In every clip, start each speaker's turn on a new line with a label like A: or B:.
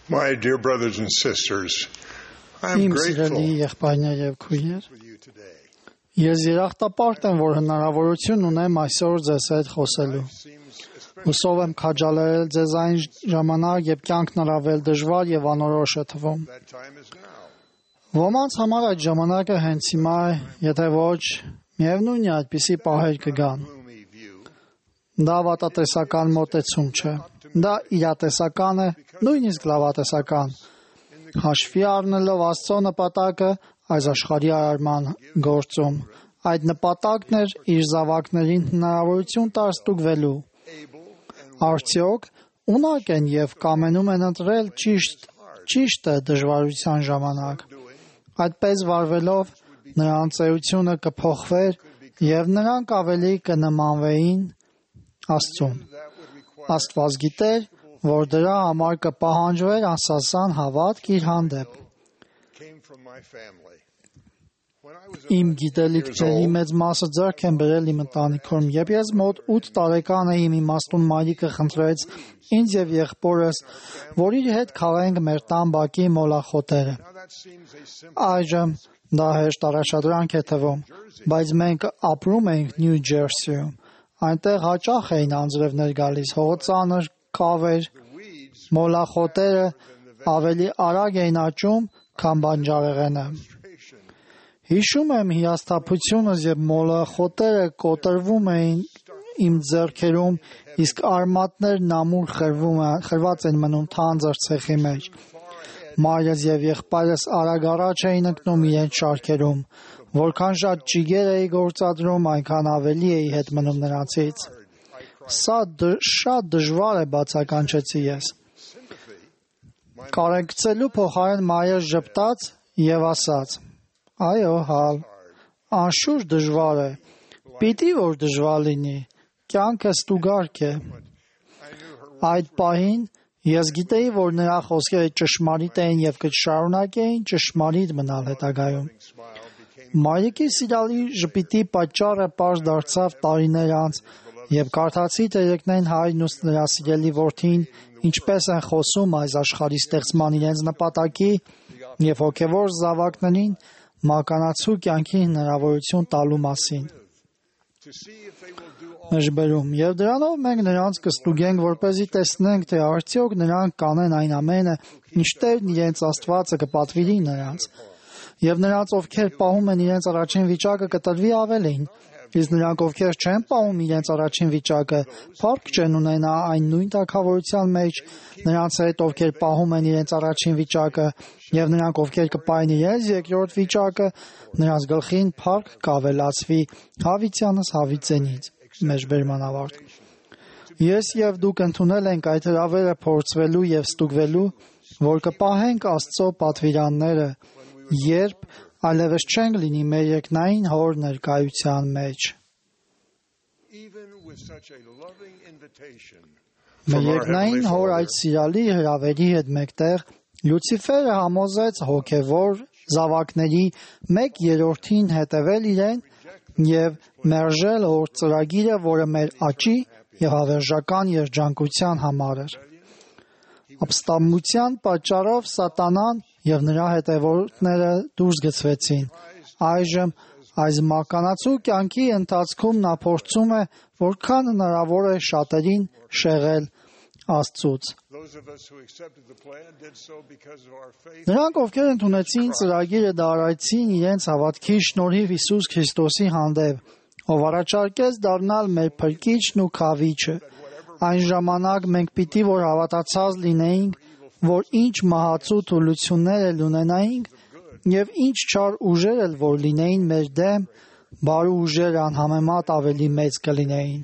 A: My dear brothers and sisters, I am
B: Իմ
A: grateful
B: սիրելի եղբայրներ եւ քույրեր,
A: for you today.
B: ես երախտապարտ եմ, որ հնարավորություն ունեմ այսօր ձեզ հետ խոսելու։
A: Seems especially
B: Հուսով եմ քաջալերել ձեզ այն ժամանակ, երբ կյանքն առավել դժվար եւ անորոշ է թվում։
A: that time is now.
B: Ոմանց համար այդ ժամանակը հենց հիմա է, եթե ոչ, միևնույն է այդպիսի պահեր կգան։
A: Gloomy view.
B: Դա վատատեսական մոտեցում չէ։ Դա իրատեսական է, նույնիսկ լավատեսական։ Հաշվի առնելով Աստծո նպատակը այս աշխարհի արարման գործում, այդ նպատակն էր իր զավակներին հնարավորություն տալ ստուգվելու։ Արդյոք ունակ են եւ կամենում են ընտրել ճիշտը դժվարության ժամանակ։ Այդպես վարվելով նրանց էությունը կփոխվեր եւ նրանք ավելի կնմանվեին Աստծուն։ Աստված գիտեր, որ դրա համար կպահանջվեր անսասան հավատք իր հանդեպ։
A: Came from my family. When I was
B: Իմ
A: about
B: գիտելիքների մեծ մասը ձեռք են բերել իմ ընտանիքում, երբ ես մոտ 8 տարեկան էի, իմ իմաստուն մայրիկը խնդրեց ինձ եւ եղբորս, որ իր հետ քաղենք մեր տան բակի մոլախոտերը։
A: now that seems a simple
B: Այժմ դա հեշտ առաջադրանք է թվում, բայց մենք ապրում ենք Նյու Ջերսիում։ Այնտեղ հաճախ էին անձրևներ գալիս, հողծանր կավեր,
A: weeds
B: մոլախոտերը ավելի արագ էին աճում, քան բանջարեղենը։
A: illustration.
B: Հիշում եմ հիասթափությունս, երբ մոլախոտերը կոտրվում էին իմ ձեռքերում, իսկ արմատներն ամուր խրված են մնում թանձր ցեխի մեջ։ Մայրս եւ եղբայրս արագ առաջ էին ընկնում իրենց շարքերում, որքան շատ ճիգեր էի գործադրում, այնքան ավելի էի հետ մնում նրանցից։ Սա շատ դժվար է, բացականչեցի ես։ Կարեկցելու փոխարեն մայրս ժպտաց եւ ասաց. Այո, հալ, անշուշտ դժվար է։ Պիտի որ դժվար լինի։ Կյանքը ստուգարք է։ Այդ պահին ես գիտեի, որ նրա խոսքերը ճշմարիտ էին եւ կշարունակեին ճշմարիտ մնալ հետագայում։ Մայրիկի սիրալի ժպիտի պատճառը պարզ դարձավ տարիներ անց, եւ կարդացի Տերեկնային հայրն ու նրա սիրելի որդին ինչպես են խոսում այս աշխարհի ստեղծման իրենց նպատակի եւ հոգեվոր զավակներին մականացու կյանքի հնարավորություն տալու մասին։
A: To see if they will do all
B: Մեջբերում եւ դրանով մենք նրանց կստուգենք, որպեսզի տեսնենք, թե արդյոք նրանք կանեն այն ամենը, ինչ Տերն իրենց Աստվածը կպատվիրի նրանց։ Եվ նրանց, ովքեր պահում են իրենց առաջին վիճակը, կտրվի ավելին։ Իսկ նրանք, ովքեր չեն պահում իրենց առաջին վիճակը, փառք չեն ունենա այն նույն թագավորության մեջ, նրանց հետ, ովքեր պահում են իրենց առաջին վիճակը, եւ նրանք, ովքեր կպահեն իրենց երկրորդ վիճակը, նրանց գլխին փառք կավելացվի հավիտյանս հավիտենից։ Մեջբերման ավարտ։ Ես եւ դուք ընդունել ենք այդ հրավերը փորձվելու եւ ստուգվելու, որ կպահենք Աստծո պատվիրանները, երբ այլևս չենք լինի մեր երկնային հոր ներկայության մեջ։
A: even with such a loving invitation.
B: Մեր երկնային հոր այդ սիրալի հրավերի հետ մեկտեղ Լյուցիֆերը համոզեց հոգևոր զավակների 1/3-ին հետևել իրեն եւ մերժել հոր ծրագիրը, որը մեր աճի եւ հավերժական երջանկության համար էր։ Ապստամբության պատճառով Սատանան եւ նրա հետևորդները դուրս գցվեցին։ Այժմ այս մականացու կյանքի ընթացքում նա փորձում է որքան հնարավոր է շատերին շեղել Աստծուց։
A: Those of us who accepted the plan did so because of our faith.
B: Նրանք, ովքեր ընդունեցին ծրագիրը, դարայցին իրենց հավատքի շնորհիվ Հիսուս Քրիստոսի հանդեպ, ով առաջարկեց դառնալ մեր փրկիչն ու քավիչը։ Այն ժամանակ մենք պիտի որ հավատացած լինեինք, որ ինչ մահացու թուլություններ էլ ունենայինք եւ ինչ չար ուժեր էլ որ լինեին մեր դեմ, բարու ուժերը անհամեմատ ավելի մեծ կլինեին։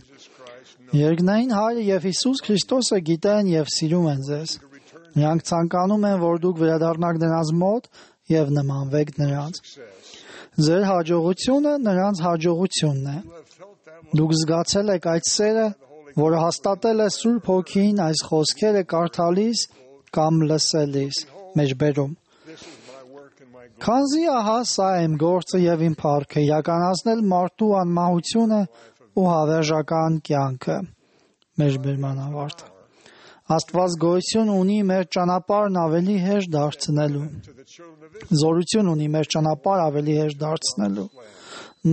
B: Երկնային Հայրը եւ Հիսուս Քրիստոսը գիտեն եւ սիրում են ձեզ։ Նրանք ցանկանում են, որ դուք վերադառնաք նրանց մոտ եւ նմանվեք նրանց։ Ձեր հաջողությունը նրանց հաջողությունն է։ Դուք զգացել եք այդ սերը, որը հաստատել է Սուրբ Հոգին այս խոսքերը կարդալիս կամ լսելիս։ Մեջբերում։ Քանզի ահա սա եմ գործը եւ իմ փառքը, իրականացնել մարդու անմահությունը ու հավերժական կյանքը։ Մեջբերման ավարտ։ Աստված գոյություն ունի մեր ճանապարհն ավելի հեշտ դարձնելու։ Զորություն ունի մեր ճանապարհ ավելի հեշտ դարձնելու։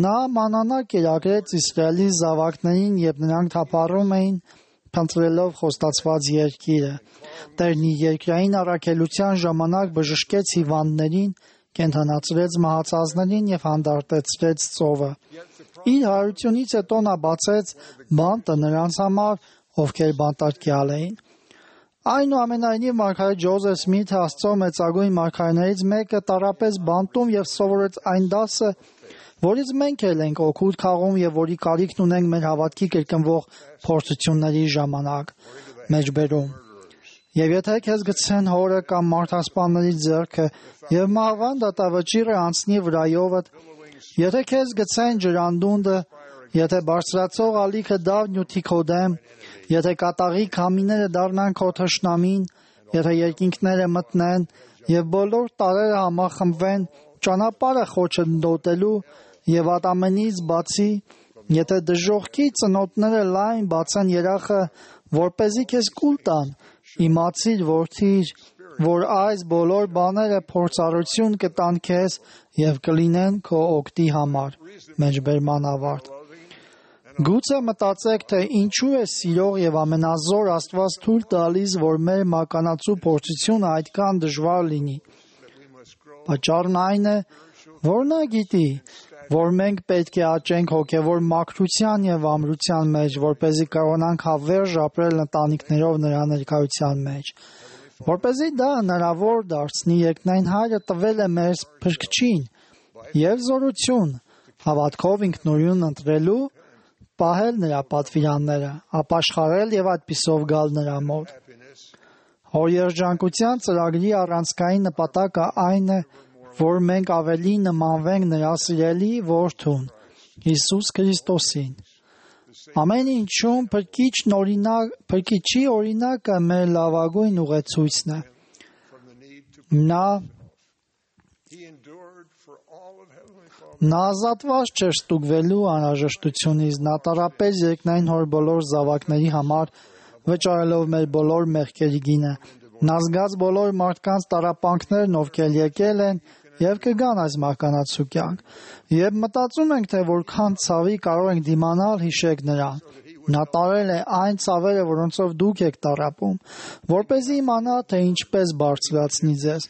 B: Նա մանանակ կերակրեց Իսրայելի զավակներին, երբ նրանք թափառում էին, փնտրելով խոստացված երկիրը։ Տերն իր երկրային առաքելության ժամանակ բժշկեց հիվանդներին, կենդանացրեց մահացածներին և հանդարտեցրեց ծովը։ Իր հարությունից հետո նա բացեց բանտը նրանց համար, ովքեր բանտարկյալ էին։ Այնուամենայնիվ մարգարե Ջոզեֆ Սմիթը, Աստծո մեծագույն մարգարեներից մեկը, տառապեց բանտում և սովորեց այն դասը, որից մենք էլ ենք օգուտ քաղում և որի կարիքն ունենք մեր հավատքի կրկնվող փորձությունների ժամանակ։ Մեջբերում։ Եվ եթե քեզ գցեն հորը կամ մարդասպանների ձեռքը և մահվան դատավճիռը անցնի վրայովդ, եթե քեզ գցեն ջրանդունդը, եթե բարձրացող ալիքը դավնյութի քո դեմ, եթե կատաղի քամիները դառնան քո թշնամին, եթե երկինքները մտնեն և բոլոր տարրերը համախմբվեն ճանապարհը խոչընդոտելու և ատամենից բացի, եթե դժոխքի ծնոտները լայն բացեն երախը, որպեսզի քեզ կուլ տան, իմացիր, որդիր, որ այս բոլոր բաները փորձառություն կտան քեզ և կլինեն քո օգտի համար։ Մեջբերման ավարտ։ Գուցե մտածեք, թե ինչու է սիրող և ամենազոր Աստված թույլ տալիս, որ մեր մականացու փորձությունը այդքան դժվար լինի։ Պատճառն այն է, որ նա գիտի, որ մենք պետք է աճենք հոգևոր մաքրության և ամրության մեջ, որպեսզի կարողանանք հավերժ ապրել ընտանիքներով նրա ներկայության մեջ։ Որպեսզի դա հնարավոր դարձնի, երկնային Հայրը տվել է մեր Փրկչին և զորություն, հավատքով ինքնուրույն ընտրելու, պահել նրա պատվիրանները, ապաշխարել և այդպիսով գալ նրա մոտ։ Հոր երջանկության ծրագրի առանցքային նպատակը այն է, որ մենք ավելի նմանվենք նրա սիրելի որդուն, Հիսուս Քրիստոսին։ Ամեն ինչում Փրկիչի օրինակը մեր լավագույն ուղեցույցն է։ Նա ազատված չէր ստուգվելու անհրաժեշտությունից, նա տառապեց երկնային Հոր բոլոր զավակների համար, վճարելով մեր բոլոր մեղքերի գինը։ Նա զգաց բոլոր մարդկանց տառապանքներն, ովքեր եկել են և կգան այս մահկանացու կյանք։ Երբ մտածում ենք, թե որքան ցավի կարող ենք դիմանալ, հիշեք նրան։ Նա տարել է այն ցավերը, որոնցով դուք եք տառապում, որպեսզի իմանա, թե ինչպես բարձրացնի ձեզ։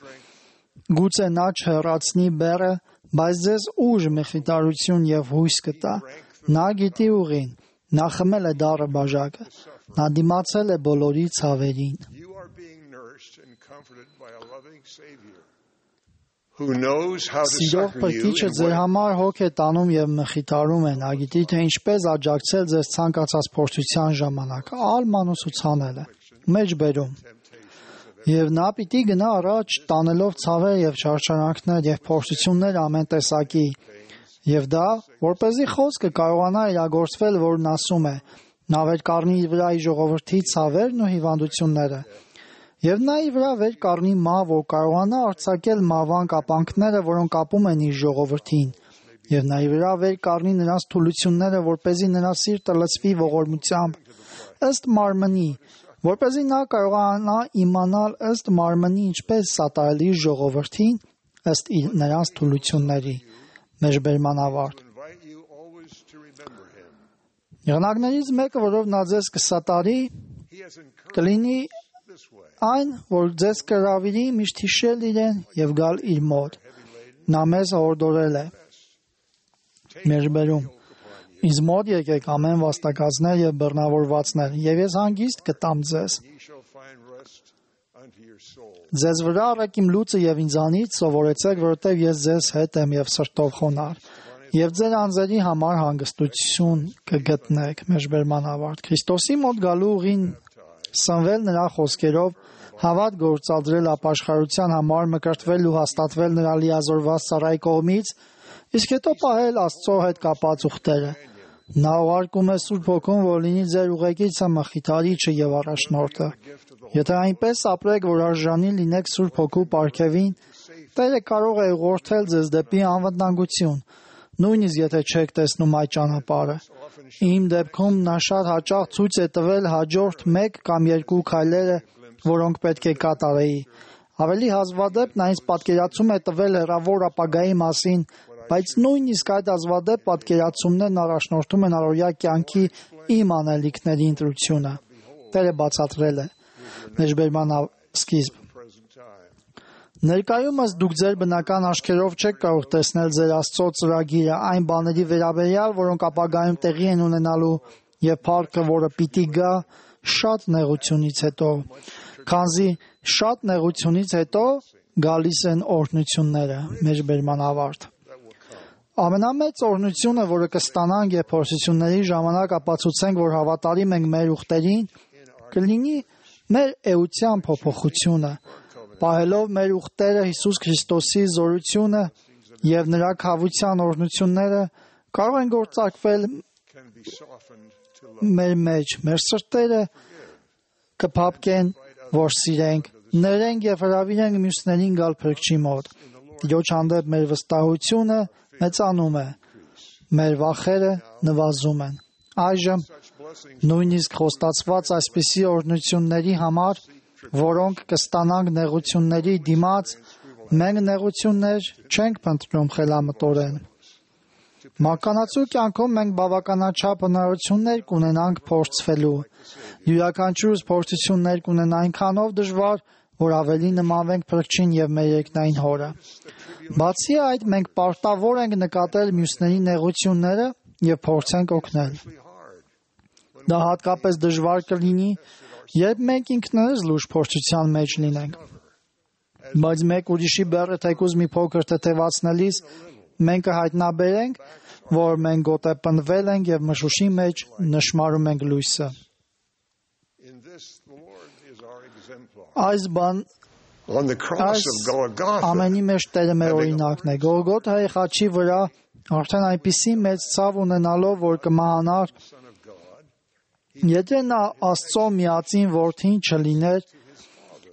B: Գուցե նա չհեռացնի բեռը, բայց ձեզ ուժ, մխիթարություն և հույս կտա։ Նա գիտի ուղին, նա խմել է դառը բաժակը, նա դիմացել է բոլորի ցավերին։ Սիրող Փրկիչը ձեր համար հոգ է տանում և մխիթարում է, նա գիտի, թե ինչպես աջակցել ձեզ ցանկացած փորձության ժամանակ, մանուսուցանել է։ Մեջբերում։ Եվ նա պիտի գնա առաջ, տանելով ցավեր և չարչարանքներ և փորձություններ ամեն տեսակի, և դա, որպեսզի խոսքը կարողանա իրագործվել, որն ասում է. նա վեր կառնի իր վրա իր ժողովրդի ցավերն ու հիվանդությունները։ Եվ նա իր վրա վեր կառնի մահ, որ կարողանա արձակել մահվան կապանքները, որոնք կապում են իր ժողովրդին։ Եվ նա իր վրա վեր կառնի նրանց թուլությունները, որպեսզի նրա սիրտը լցվի ողորմությամբ, ըստ մարմնի, որպեսզի նա կարողանա իմանալ ըստ մարմնի ինչպես սատարել իր ժողովրդին, ըստ նրանց թուլությունների։ Մեջբերման ավարտ։ Եղանակներից մեկը, որով նա ձեզ կսատարի, կլինի այն, որ ձեզ կհրավիրի միշտ հիշել իրեն և գալ իր մոտ։ Նա մեզ հորդորել է։ Մեջբերում։ Ինձ մոտ եկեք ամեն վաստակածներ և բռնավորվածներ, և ես հանգիստ կտամ ձեզ։ Ձեզ վրա առեք իմ լուծը և ինձանից սովորեցեք, որովհետև ես ձեզ հետ եմ և սրտով խոնարհ, և ձեր անձերի համար հանգստություն կգտնեք։ Մեջբերման ավարտ։ Քրիստոսի մոտ գալու ուղին սնվել նրա խոսքերով, հավատ գործադրել ապաշխարության համար, մկրտվել ու հաստատվել նրա լիազորված ծառայի կողմից, իսկ հետո պահել Աստծո հետ կապած ուխտերը։ Նա ուղարկում է Սուրբ Հոգուն, որ լինի ձեր ուղեկիցը, մխիթարիչը և առաջնորդը։ Եթե այնպես ապրեք, որ արժանի լինեք Սուրբ Հոգու պարգևին, Տերը կարող է ուղղորդել ձեզ դեպի անվտանգություն։ նույնիսկ եթե չեք տեսնում այդ ճանապարհը։ Իմ դեպքում նա շատ հաճախ ցույց է տվել հաջորդ 1 կամ 2 քայլերը, որոնք պետք է կատարեի։ Ավելի հազվադեպ նա ինձ պատկերացում է տվել հեռավոր ապագայի մասին, բայց նույնիսկ այդ հազվադեպ պատկերացումներն առաջնորդում են առօրյա կյանքի իմ անելիքների ընտրությունը։ Տերը բացատրել է. Մեջբերման սկիզբ։ Ներկայումս դուք ձեր բնական աչքերով չեք կարող տեսնել ձեր Աստծո ծրագիրը այն բաների վերաբերյալ, որոնք ապագայում տեղի են ունենալու, եւ փառքը, որը պիտի գա շատ նեղությունից հետո, քանզի շատ նեղությունից հետո գալիս են օրհնությունները։ Մեջբերման ավարտ։ Ամենամեծ օրհնությունը, որը կստանանք, եւ փորձությունների ժամանակ ապացուցենք, որ հավատարիմ ենք մեր ուխտերին, կլինի մեր էության փոփոխությունը, պահելով մեր ուխտերը Հիսուս Քրիստոսի զորությունը եւ նրա քավության օրհնությունները կարող են գործարկվել մեր մեջ, մեր սրտերը կփափկեն, որ սիրենք, ներենք եւ հրավիրենք մյուսներին գալ Փրկչի մոտ։ Տիրոջ հանդեպ մեր վստահությունը մեծանում է, մեր վախերը նվազում են։ Այժմ նույնիսկ խոստացված այսպիսի օրհնությունների համար, որոնք կստանանք նեղությունների դիմաց, մենք նեղություններ չենք փնտրում խելամտորեն։ Մականացու կյանքում մենք բավականաչափ հնարավորություններ կունենանք փորձվելու։ Յուրաքանչյուրս փորձություններ կունեն այնքանով դժվար, որ ավելի նմանվենք Փրկչին եւ մեր երկնային Հորը։ Բացի այդ, մենք պարտավոր ենք նկատել մյուսների նեղությունները եւ փորձենք օգնել։ Դա հատկապես դժվար կլինի, երբ մենք ինքներս լուրջ փորձության մեջ լինենք։ Բայց մեկ ուրիշի բեռը թեկուզ մի փոքր թեթևացնելիս մենք կհայտնաբերենք, որ մենք գոտեպնդվել ենք եւ մշուշի մեջ նշմարում ենք լույսը։ Այս ամենի մեջ Տերը մեր օրինակն է։ Գողգոթայի խաչի վրա արդեն այնպիսի մեծ ցավ ունենալով, որ կմահանար, եթե նա Աստծո միածին որդին չլիներ,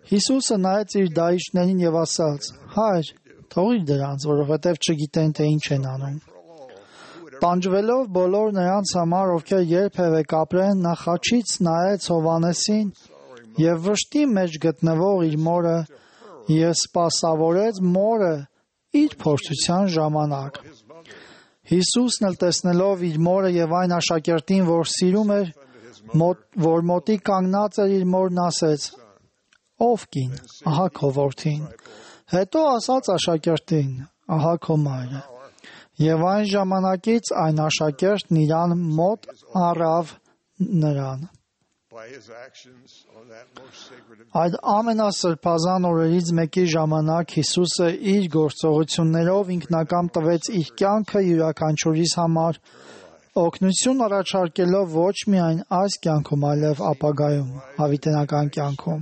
B: Հիսուսը նայեց իր դահիճներին եւ ասաց. «Հայր, թողիր դրանց, որովհետեւ չգիտեն, թե ինչ են անում»։ Տանջվելով բոլոր նրանց համար, ովքեր երբևէ կապրեն, նա խաչից նայեց Հովհաննեսին եւ վշտի մեջ գտնվող իր մորը եւ սպասավորեց մորը իր փորձության ժամանակ։ Հիսուսն էլ տեսնելով իր մորը եւ այն աշակերտին, որ սիրում էր, որ մոտիկ կանգնած էր իր մորն, ասեց. «Ով կին, ահա քո որդին»։ Հետո ասաց աշակերտին. «Ահա քո մայրը»։ Եվ այն ժամանակից այն աշակերտն իրան մոտ առավ նրան։ Այդ ամենասրբազան օրերից մեկի ժամանակ Հիսուսը իր գործողություններով ինքնակամ տվեց իր կյանքը յուրաքանչյուրիս համար, օգնություն առաջարկելով ոչ միայն այս կյանքում, այլև ապագայում, հավիտենական կյանքում։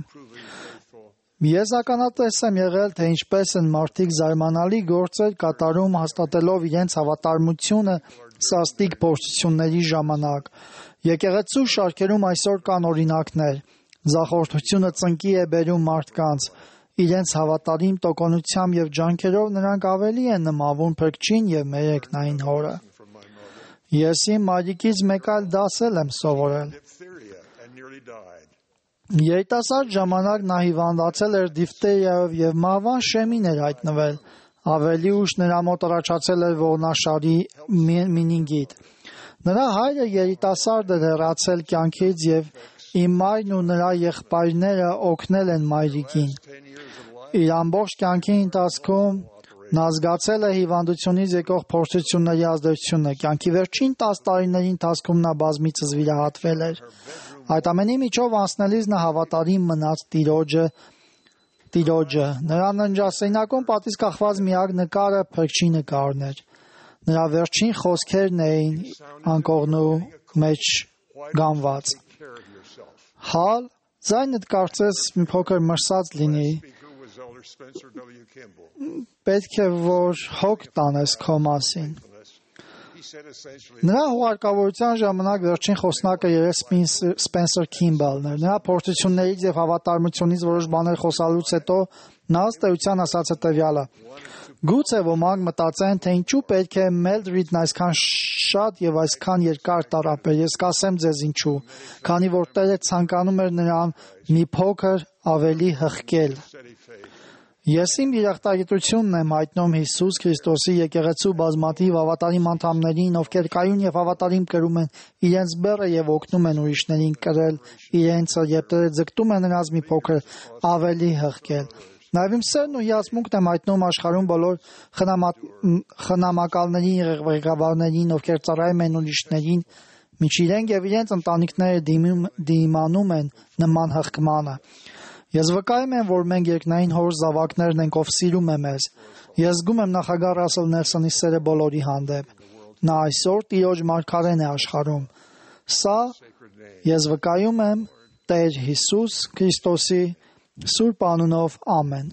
B: Ես ականատես եմ եղել, թե ինչպես են մարդիկ զարմանալի գործեր կատարում հաստատելով իրենց հավատարմությունը սաստիկ փորձությունների ժամանակ։ Եկեղեցու շարքերում այսօր կան օրինակներ։ Ձախորդությունը ծնկի է բերում մարդկանց։ Իրենց հավատարիմ տոկունությամբ եւ ջանքերով նրանք ավելի են նմանվում Փրկչին եւ մեր երկնային Հորը։ Ես իմ մայրիկից մեկ այլ դասել եմ սովորել։ Երիտասարդ ժամանակ նա հիվանդացել էր դիֆթերիայով եւ մահվան շեմին էր հայտնվել։ Ավելի ուշ նրա մոտ առաջացել էր ողնաշարի մենինգիտ։ Նրա հայրը երիտասարդ էր հեռացել կյանքից եւ իմ մայրն ու նրա եղբայրները օգնել են մայրիկին։ Իր ամբողջ կյանքի ընթացքում նա զգացել է հիվանդությունից եկող փորձությունների ազդեցությունը։ Կյանքի վերջին 10 տարիների ընթացքում նա բազմիցս վիրահատվել էր։ Այդ ամենի միջով անցնելիս նա հավատարիմ մնաց Տիրոջը։ Նրա ննջասենյակում պատից կախված միակ նկարը Փրկչի նկարն էր։ Նրա վերջին խոսքերն էին անկողնու մեջ գանված. «Հալ, ձայնդ կարծես մի փոքր մրսած լինի։ Պետք է որ հոգ տանես քո մասին»։
A: He said essentially,
B: Նրա հուղարկավորության ժամանակ վերջին խոսնակը երես Սպենսեր Քիմբալն էր։ Նրա փորձություններից եւ հավատարմությունից որոշ բաներ խոսալուց հետո նա ըստ էության ասաց հետեւյալը. Գուցե ոմանք մտածեն, թե ինչու պետք է Մելդրիդն այսքան շատ եւ այսքան երկար տառապեր։ Ես կասեմ ձեզ ինչու։ Քանի որ Տերը ցանկանում էր նրան մի փոքր ավելի հղկել։
A: steady faith.
B: Ես իմ երախտագիտությունն եմ հայտնում Հիսուս Քրիստոսի եկեղեցու բազմաթիվ հավատարիմ անդամներին, ովքեր կայուն եւ հավատարիմ կրում են իրենց բեռը եւ օգնում են ուրիշներին կրել իրենցը, երբ Տերը ձգտում է նրանց մի փոքր ավելի հղկել։ Նաև իմ սերն ու հիացմունքն եմ հայտնում աշխարհում բոլոր խնամակալներին, ղեկավարներին, ովքեր ծառայում են ուրիշներին, մինչ իրենք եւ իրենց ընտանիքները դիմանում են նման հղկմանը։ Ես վկայում եմ, որ մենք երկնային Հոր զավակներն ենք, ով սիրում է մեզ։ Ես զգում եմ նախագահ Ռասել Նելսոնի սերը բոլորի հանդեպ։ Նա այսօր Տիրոջ մարգարեն է աշխարհում։ Սա ես վկայում եմ Տեր Հիսուս Քրիստոսի սուրբ անունով, ամեն։